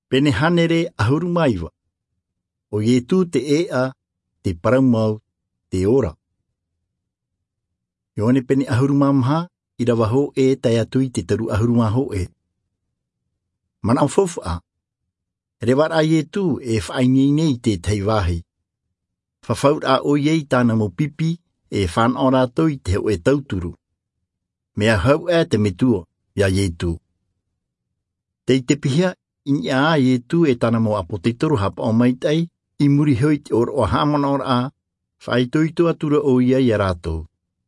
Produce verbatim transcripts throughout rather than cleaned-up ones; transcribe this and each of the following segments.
Pene hānere ʻahuru mā iva. ʻO Ietu te ʻēʻa, te parau mau, te ora. Ioane pene ʻahuru mā maha, ʻīrava hōʻē tae atu i te toru ʻahuru mā hōʻē. Manaʻo faufaʻa. Reva rā Ietu e faʻaineine i te tahi vāhi. Fafau rā ʻoia i tāna mau pipi, e fānaʻo rātou i te hōʻē tauturu. Mea hau ʻā te Metua iā Ietu. Tei te piha i niʻa ā Ietu e tāna mau ʻāpōsetolo haʻapaʻo maitaʻi, i muri iho i te ʻōroʻa haʻamanaʻoraʻa, faʻaitoito atu ra ʻoia iā rātou.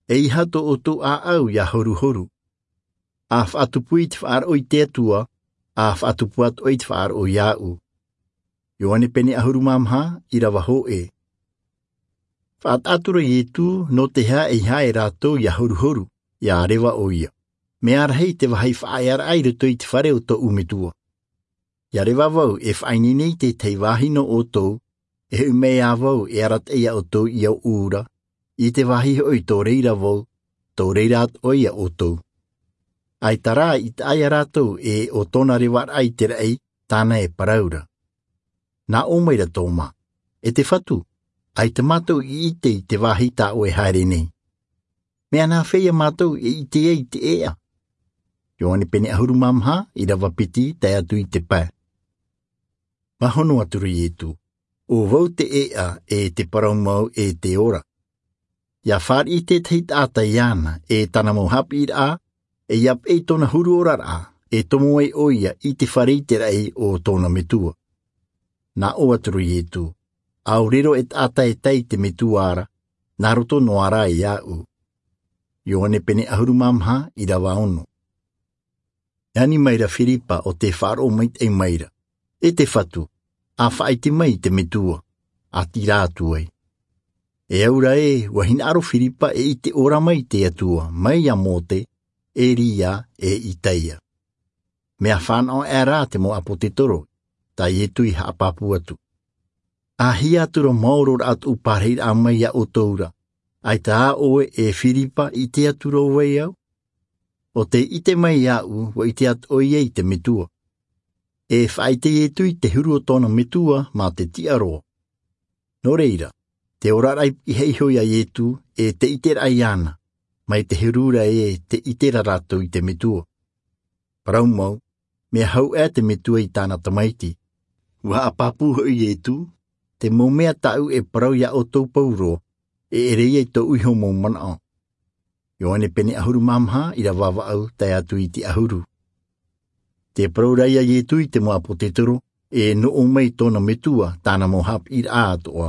E aha tō ʻoutou ʻāʻau ia horuhoru? A faʻatupu i te faʻaroʻo i te Atua, a faʻatupu atoʻa i te faʻaroʻo iāʻu. Ioane pene ʻahuru mā maha, ʻīrava hōʻē. Faʻataʻa atu ra Ietu nō te aha e aha e rātou ia horuhoru, ia reva ʻoia. Mea rahi te vāhi faʻaearaʻa i roto i te fare o tōʻu Metua. Ia reva vau e faʻaineine i te tahi vāhi nō ʻoutou, e hoʻi mai ā vau e arataʻi iā ʻoutou i ōʻu ra, i te vāhi hoʻi tō reira vau, tō reira atoʻa iā ʻoutou. ʻAita rā i taʻa iā rātou e ʻo tōna revaraʻa i te raʻi, tāna e parau ra. Nā ʻō mai ra Toma, E te Fatu, ʻaita mātou i ʻite i te vāhi tā ʻoe e haere nei. Mea nā fea ia mātou e ʻite ai i te ʻēʻa? Ioane pene ʻahuru mā maha, ʻīrava piti tae atu i te pae. Mea hono atu ra Ietu, ʻO vau te ʻēʻa, e te parau mau, e te ora. Ia fāriʻi te tahi taʻata iāna, e tāna mau haʻapiʻiraʻa, e ia peʻe i tōna huru oraraʻa, e tomo ai ʻoia i te fare i te raʻi o tōna Metua. Nā ʻō atu ra Ietu, ʻAore roa e taʻata e tae i te Metua ra, nā roto noa rā iāʻu. Ioane pene ʻahuru mā maha, ʻīrava ono. E ani mai ra Firipa ʻo tē faʻaroʻo maitaʻi mai ra, E te Fatu, a faʻaʻite mai i te Metua, a tīrā atu ai. E au ra ē, ʻua hinaʻaro Firipa e ʻite ʻōrā mai i te Atua, mai iā Mose, Elia, e Isaia. Mea fānaʻo ʻā rā te mau ʻāpōsetolo, tā Ietu i haʻapāpū atu. A hia atu ra maoro rā tōʻu pārahiraʻa mai iā ʻoutou ra, ʻaita ā ʻoe e Firipa ʻite atu ra ʻo vai au? ʻO tē ʻite mai iāʻu, ʻua ʻite atoʻa ʻoia i te Metua. E faʻaʻite Ietu i te huru o tōna Metua mā te tiʻaroa. Nō reira, te oraraʻa i pihaʻi iho iā Ietu, e te ʻiteraʻa iāna, mai te huru ra ē te ʻite ra rātou i te Metua. Parau mau, mea hau ʻā te Metua i tāna Tamaiti. ʻUa haʻapāpū hoʻi Ietu, Te mau mea tāʻu e parau iā ʻoutou pauroa, e ʻere ia i tōʻu iho mau manaʻo. Ioane pene ʻahuru mā maha, ʻīrava vaʻu tae atu i te ʻahuru. Tē parau ra ïa Ietu i te mau ʻāpōsetolo, e nō ʻō mai tōna Metua, tāna mau haʻapiʻiraʻa atoʻa.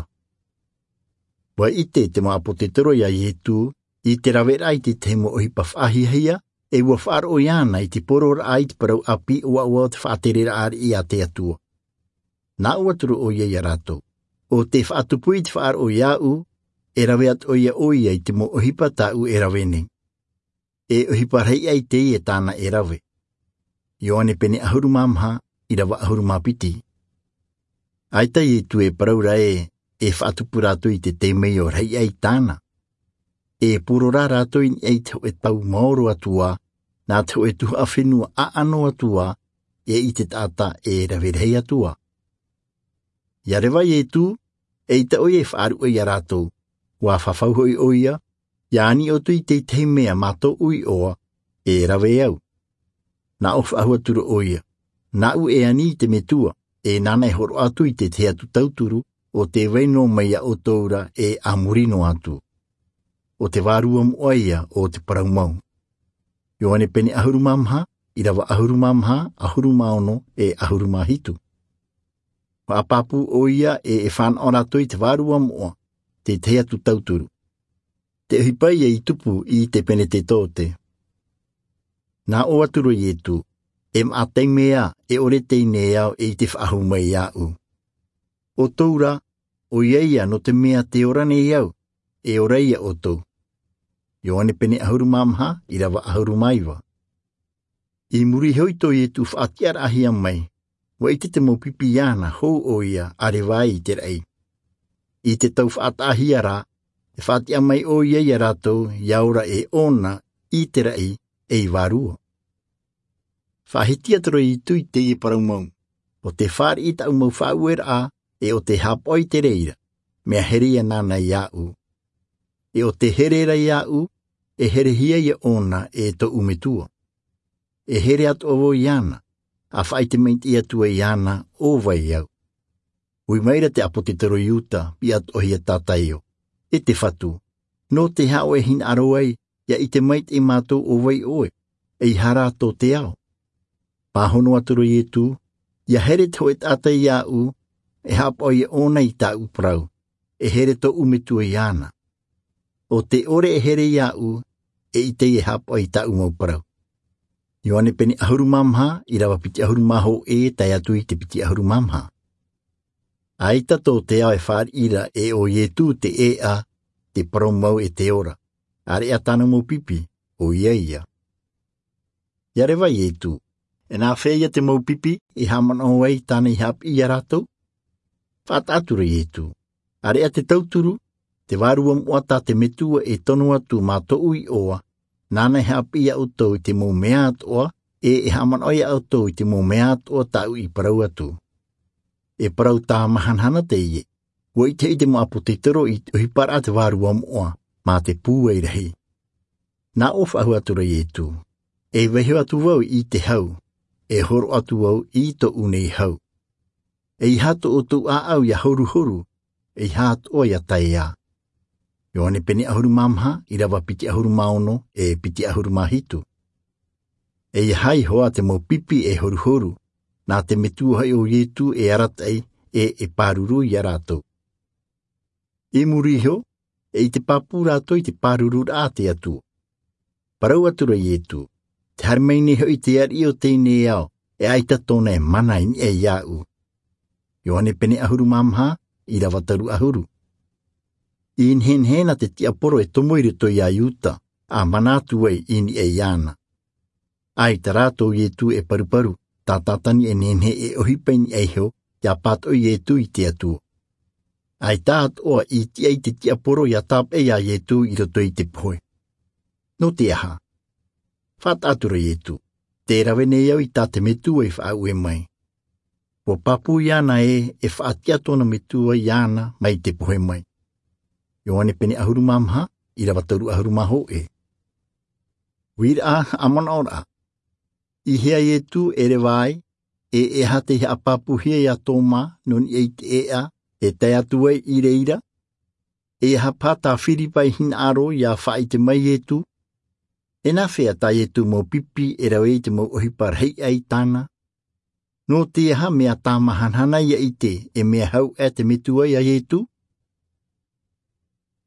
ʻUa ʻite te mau ʻāpōsetolo iā Ietu, i te raveraʻa i te tahi mau ʻohipa faʻahiahia, e ʻua faʻaroʻo iāna i te poroʻraʻa i te parau ʻāpī ʻoaʻoa o te faʻatereraʻa ariʻi a te Atua. Nā ʻō atu ra ʻoia iā rātou, ʻo tē faʻatupu i te faʻaroʻo iāʻu, e rave atoʻa ïa ʻoia i te mau ʻohipa tāʻu e rave nei. E ʻohipa rahi aʻe teie tāna e rave. Ioane pene ʻahuru mā maha, ʻīrava ʻahuru mā piti. ʻAita Ietu e parau ra ē, e faʻatupu rātou i te temeio rahi aʻe tāna. E poro rā rātou i niʻa i te hōʻē tau maoro atu ā, nā te hōʻē tuhaʻa fenua ʻaʻano atu ā, e i te taʻata e rave rahi atu ā. ʻIa reva Ietu, eʻita ʻoia e faʻaruʻe iā rātou, ʻua fafau hoʻi ʻoia, ʻia ani ʻoutou i te tahi mea mā tōʻu iʻoa, e rave au. Nā ʻō faʻahou atu ra ʻoia, nāʻu e ani i te Metua, e nāna e hōroʻa atu i te tahi atu tauturu, ʻo tē vai noa mai iā ʻoutou ra e a muri noa atu. ʻO te vārua moʻa ïa o te parau mau. Ioane pene ʻahuru mā maha, ʻīrava ʻahuru mā maha, ʻahuru mā ono, e ʻahuru mā hitu. Faʻapāpū ʻoia e e fānaʻo rātou i te vārua moʻa, te tahi atu tauturu. Te ʻohipa ïa i tupu i te Penetetote. Nā ʻō atu ra Ietu, e maʻa taime ā, e ʻore teie nei ao e i te faʻahou mai iāʻu. ʻO ʻoutou rā, ʻoia ïa nō te mea tē ora nei au, e ora ïa ʻoutou. Ioane pene ʻahuru mā maha, ʻīrava ʻahuru mā iva. I muri iho i tō Ietu faʻatiʻaraʻahia mai, ʻua ʻite te mau pipi iāna hou ʻoia a reva ai i te raʻi. I te tau faʻataʻahia rā, e faʻatiʻa mai ʻoia iā rātou, ʻia ora e ʻōna i te raʻi, e i vārua. Faʻahiti atu ra Ietu i teie parau mau. ʻO te fāriʻi taʻu mau faʻaueraʻa, ʻe ʻo te haʻapaʻo i te reira, mea here ia nāna iāʻu. ʻE ʻo te here ra iāʻu, e herehia ia ʻōna e tōʻu metua. E here atoʻa vau iāna, a faʻaite maitaʻi atu ai iāna ʻo vai au. Ui maira te ʻāpōsetolo iuda, piʻi atoʻa hia tātaio, e te fatu, nō te aha ʻoe e hinaʻaro ai, ia ʻite maitaʻi mātou ʻo vai ʻoe, ʻeiaha rā tō te ao. Pāhono atu ra iesu, ia here te hoʻe taʻata iāʻu, e haʻapaʻo ia ʻōna i tāʻu parau, e here tōʻu metua iāna. ʻO te ʻore e here iāʻu, e ʻite ia e haʻapaʻo i tāʻu mau parau. Ioane pene ʻahuru mā maha, ʻirava piti ʻahuru mā hōʻē, tae atu i te piti ʻahuru mā maha. ʻAita tō te ao e fāriʻi ra, ʻe ʻo iesu te ʻēʻa, te parau mau e te ora. ʻĀreʻa tāna mau pipi, ʻo ia ia. Ia reva iesu, e nāfea ia te mau pipi e haʻamanaʻo ai tāna i haʻapiʻi ia rātou? Faʻataʻa atu ra iesu, ʻāreʻa te tauturu, te vārua moʻa tā te metua e tono atu mā tōʻu iʻoa, nāna e haʻapiʻi ia ʻoutou i te mau mea atoʻa, ʻe e haʻamanaʻo ia ʻoutou i te mau mea atoʻa tāʻu i parau atu. E parau tāmahanahana teie, ua ʻite hoʻi te mau ʻāpōsetolo i te ʻohiparaʻa te vārua moʻa, mā te pūai rahi. Nā ʻō faʻahou atu ra iesu, e vaiho atu vau i te hau, e horo atu vau i tōʻu nei hau. ʻEiaha tō ʻoutou ʻāʻau ia horuhoru, ʻeiaha atoʻa ia taeʻa. Ioane pene ʻahuru mā maha, ʻirava piti ʻahuru mā ono, ʻe piti ʻahuru mā hitu. ʻEiaha iho ā te mau pipi e horuhoru, nā te metua hoʻi ʻo iesu e arataʻi, ʻe e pāruru ia rātou. I muri iho, e ʻite pāpū rātou i te pārururaʻa a te atua. Parau atu ra iesu, te haere mai nei hoʻi te ariʻi o teie nei ao, e ʻaita tōna e mana i niʻa iāʻu. Ioane pene ʻahuru mā maha, ʻirava toru ʻahuru. I nehenehe na te tiaporo e tomo i roto iā iuda, a mana atu ai i niʻa iāna. ʻAita rā tō iesu e paruparu, tātātani e nehenehe e ʻohipa i niʻa iho, ia pātoʻi iesu i te atua. ʻAita atoʻa i tiʻa i te tiaporo ia tāpeʻa iā iesu i roto i te pohe. Nō te aha? Faʻataʻa atu ra iesu, te rave nei au i tā te metua i faʻaue mai. Ua pāpū iāna ē, e faʻatiʻa tōna metua iāna mai te pohe mai. Ioane pene ʻahuru mā maha, ʻirava toru ʻahuru mā hōʻē. Uiraʻa, haʻamanaʻoraʻa. I hea iesu e reva ai, ʻe e aha tei haʻapāpūhia iā toma nō niʻa i te ʻēʻa, e tae atu ai i reira? ʻEiaha paha tā filipa i hinaʻaro ia faʻaʻite mai iesu? E nāfea tā iesu mau pipi e rave i te mau ʻohipa rahi ʻai tāna? Nō te aha mea tāmahanahana ia ʻite e mea hau ʻā te metua iā iesu?